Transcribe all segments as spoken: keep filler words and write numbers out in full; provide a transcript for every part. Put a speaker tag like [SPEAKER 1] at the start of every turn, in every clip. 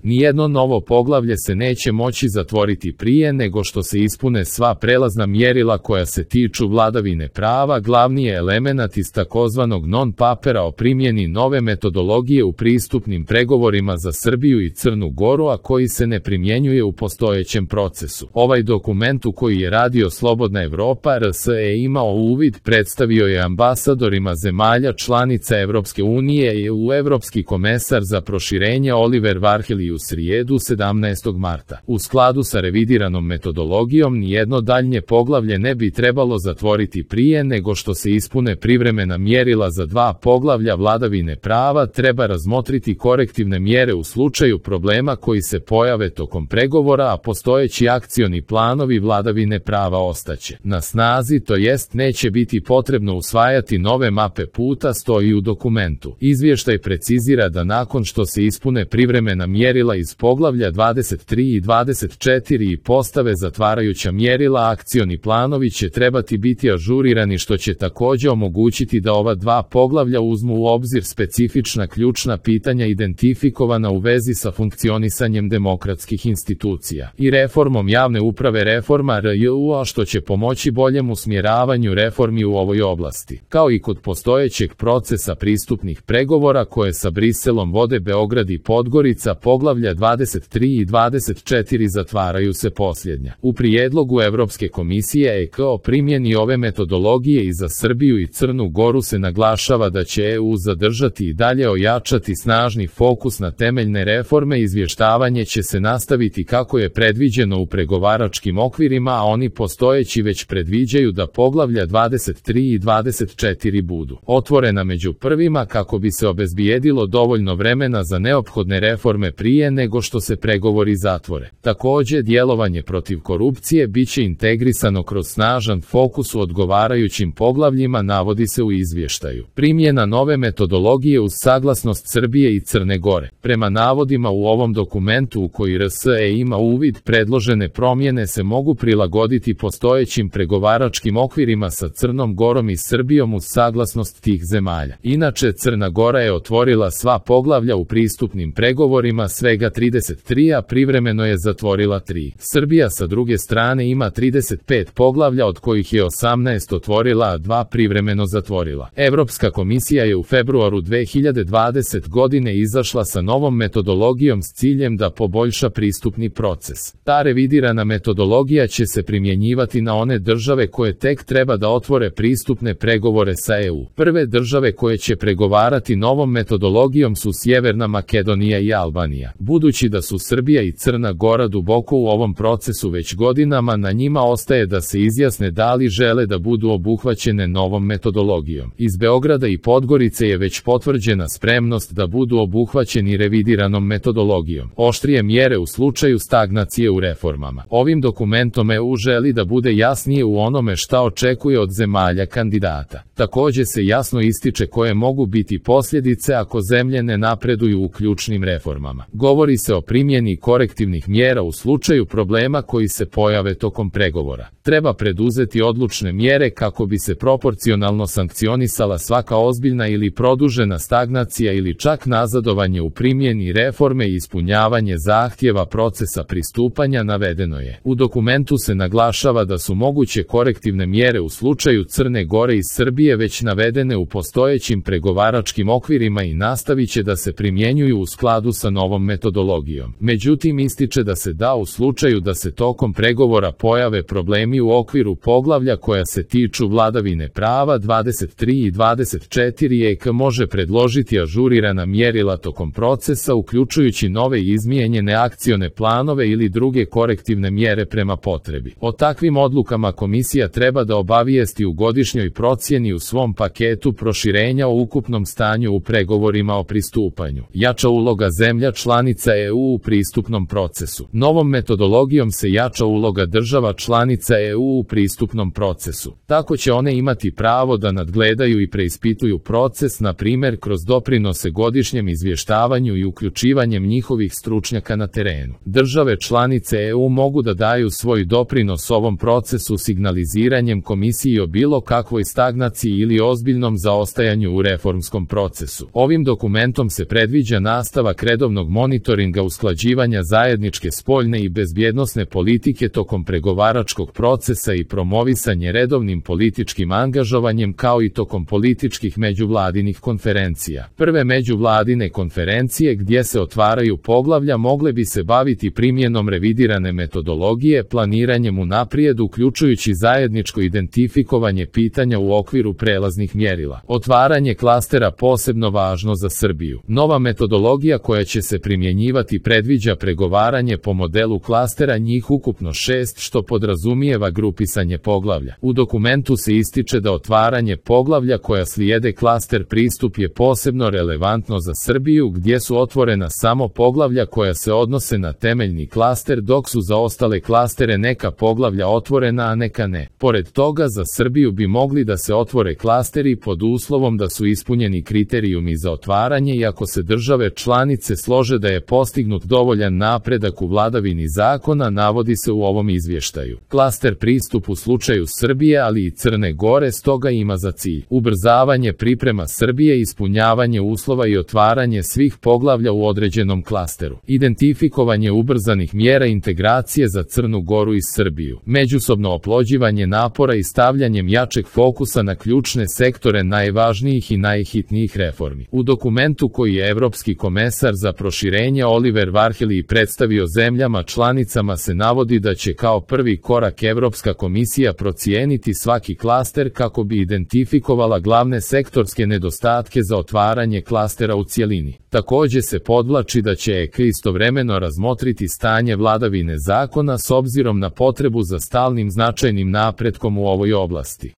[SPEAKER 1] Nijedno novo poglavlje se neće moći zatvoriti prije nego što se ispune sva prelazna mjerila koja se tiču vladavine prava. Glavni je elemenat iz takozvanog non-papera o primjeni nove metodologije u pristupnim pregovorima za Srbiju i Crnu Goru, a koji se ne primjenjuje u postojećem procesu. Ovaj dokument u koji je radio Slobodna Evropa R S E imao uvid predstavio je ambasadorima zemalja članica Evropske unije i u Evropski komesar za proširenje Oliver Varhelyi u srijedu sedamnaestog marta. U skladu sa revidiranom metodologijom nijedno daljnje poglavlje ne bi trebalo zatvoriti prije nego što se ispune privremena mjerila za dva poglavlja vladavine prava. Treba razmotriti korektivne mjere u slučaju problema koji se pojave tokom pregovora, a postojeći akcioni planovi vladavine prava ostaće na snazi, to jest neće biti potrebno usvajati nove mape puta, stoji u dokumentu. Izvještaj precizira da nakon što se ispune privremena mjerila iz poglavlja dvadeset tri i dvadeset četiri i postave zatvarajuća mjerila, akcioni planovi će trebati biti ažurirani, što će također omogućiti da ova dva poglavlja uzmu u obzir specifična ključna pitanja identifikovana u vezi sa funkcionisanjem demokratskih institucija i reformom javne uprave, reforma R J U, a što će pomoći boljem usmjeravanju reformi u ovoj oblasti. Kao i kod postojećeg procesa pristupnih pregovora koje sa Briselom vode Beograd i Podgorica, poglavlja dvadeset tri i dvadeset četiri zatvaraju se posljednja. U prijedlogu Evropske komisije E K o primjeni ove metodologije i za Srbiju i Crnu Goru se naglašava da će E U zadržati i dalje ojačati snažni fokus na temeljne reforme. Izvještavanje će se nastaviti kako je predviđeno u pregovaračkim okvirima, a oni postojeći već predviđaju da poglavlja dvadeset tri i dvadeset četiri budu otvorena među prvima kako bi se obezbijedilo dovoljno vremena za neophodne reforme prije nego što se pregovori zatvore. Također, djelovanje protiv korupcije biće integrisano kroz snažan fokus u odgovarajućim poglavljima, navodi se u izvještaju. Primjena nove metodologije uz saglasnost Srbije i Crne Gore. Prema navodima u ovom dokumentu u koji R S E ima uvid, predložene promjene se mogu prilagoditi postojećim pregovaračkim okvirima sa Crnom Gorom i Srbijom uz saglasnost tih zemalja. Inače, Crna Gora je otvorila sva poglavlja u pristupnim pregovorima, svega trideset tri, a privremeno je zatvorila tri. Srbija sa druge strane ima trideset pet poglavlja, od kojih je osamnaest otvorila, a dva privremeno zatvorila. Evropska komisija je u februaru dve hiljade dvadesete godine izašla sa novom metodologijom s ciljem da poboljša pristupni proces. Ta revidirana metodologija će se primjenjivati na one države koje tek treba da otvore pristupne pregovore sa E U. Prve države koje će pregovarati novom metodologijom su Sjeverna Makedonija i Albanija. Budući da su Srbija i Crna Gora duboko u ovom procesu već godinama, na njima ostaje da se izjasne da li žele da budu obuhvaćene novom metodologijom. Iz Beograda i Podgorice je već potvrđena spremnost da budu obuhvaćeni revidiranom metodologijom. Oštrije mjere u slučaju stagnacije u reformama. Ovim dokumentom E U želi da bude jasnije u onome šta očekuje od zemalja kandidata. Također se jasno ističe koje mogu biti posljedice ako zemlje ne napreduju u ključnim reformama. Govori se o primjeni korektivnih mjera u slučaju problema koji se pojave tokom pregovora. Treba preduzeti odlučne mjere kako bi se proporcionalno sankcionisala svaka ozbiljna ili produžena stagnacija ili čak nazadovanje u primjeni reforme i ispunjavanje zahtjeva procesa pristupanja, navedeno je. U dokumentu se naglašava da su moguće korektivne mjere u slučaju Crne Gore i Srbije već navedene u postojećim pregovaračkim okvirima i nastavit će da se primjenjuju u skladu sa novom metodologijom. Međutim, ističe da se da u slučaju da se tokom pregovora pojave problemi u okviru poglavlja koja se tiču vladavine prava dvadeset tri i dvadeset četiri, E K može predložiti ažurirana mjerila tokom procesa, uključujući nove i izmijenjene akcione planove ili druge korektivne mjere prema potrebi. O takvim odlukama komisija treba da obavijesti u godišnjoj procjeni u svom paketu proširenja o ukupnom stanju u pregovorima o pristupanju. Jača uloga zemlja članica E U u pristupnom procesu. Novom metodologijom se jača uloga država članica E U u pristupnom procesu. Tako će one imati pravo da nadgledaju i preispituju proces, na primjer kroz doprinose godišnjem izvještavanju i uključivanjem njihovih stručnjaka na terenu. Države članice E U mogu da daju svoj doprinos ovom procesu signaliziranjem komisiji o bilo kakvoj stagnaciji ili ozbiljnom zaostajanju u reformskom procesu. Ovim dokumentom se predviđa nastavak redovnog monitoringa monitoringa usklađivanja zajedničke spoljne i bezbjednosne politike tokom pregovaračkog procesa i promovisanje redovnim političkim angažovanjem kao i tokom političkih međuvladinih konferencija. Prve međuvladine konferencije gdje se otvaraju poglavlja mogle bi se baviti primjenom revidirane metodologije, planiranjem unaprijed uključujući zajedničko identifikovanje pitanja u okviru prelaznih mjerila. Otvaranje klastera posebno važno za Srbiju. Nova metodologija koja će se primjenjivati predviđa pregovaranje po modelu klastera, njih ukupno šest, što podrazumijeva grupisanje poglavlja. U dokumentu se ističe da otvaranje poglavlja koja slijede klaster pristup je posebno relevantno za Srbiju, gdje su otvorena samo poglavlja koja se odnose na temeljni klaster, dok su za ostale klastere neka poglavlja otvorena, a neka ne. Pored toga, za Srbiju bi mogli da se otvore klasteri pod uslovom da su ispunjeni kriterijumi za otvaranje i ako se države članice slože da je postignut dovoljan napredak u vladavini zakona, navodi se u ovom izvještaju. Klaster pristup u slučaju Srbije, ali i Crne Gore, stoga ima za cilj ubrzavanje priprema Srbije, ispunjavanje uslova i otvaranje svih poglavlja u određenom klasteru, identifikovanje ubrzanih mjera integracije za Crnu Goru i Srbiju, međusobno oplođivanje napora i stavljanjem jačeg fokusa na ključne sektore najvažnijih i najhitnijih reformi. U dokumentu koji je Evropski komesar za proširenje Oliver Varhelyi predstavio zemljama članicama se navodi da će kao prvi korak Evropska komisija procijeniti svaki klaster kako bi identifikovala glavne sektorske nedostatke za otvaranje klastera u cjelini. Također se podvlači da će E K istovremeno razmotriti stanje vladavine zakona s obzirom na potrebu za stalnim značajnim napretkom u ovoj oblasti.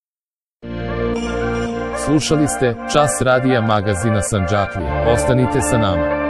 [SPEAKER 1] Slušali ste Čas radija magazina Sandžaklija. Ostanite sa nama.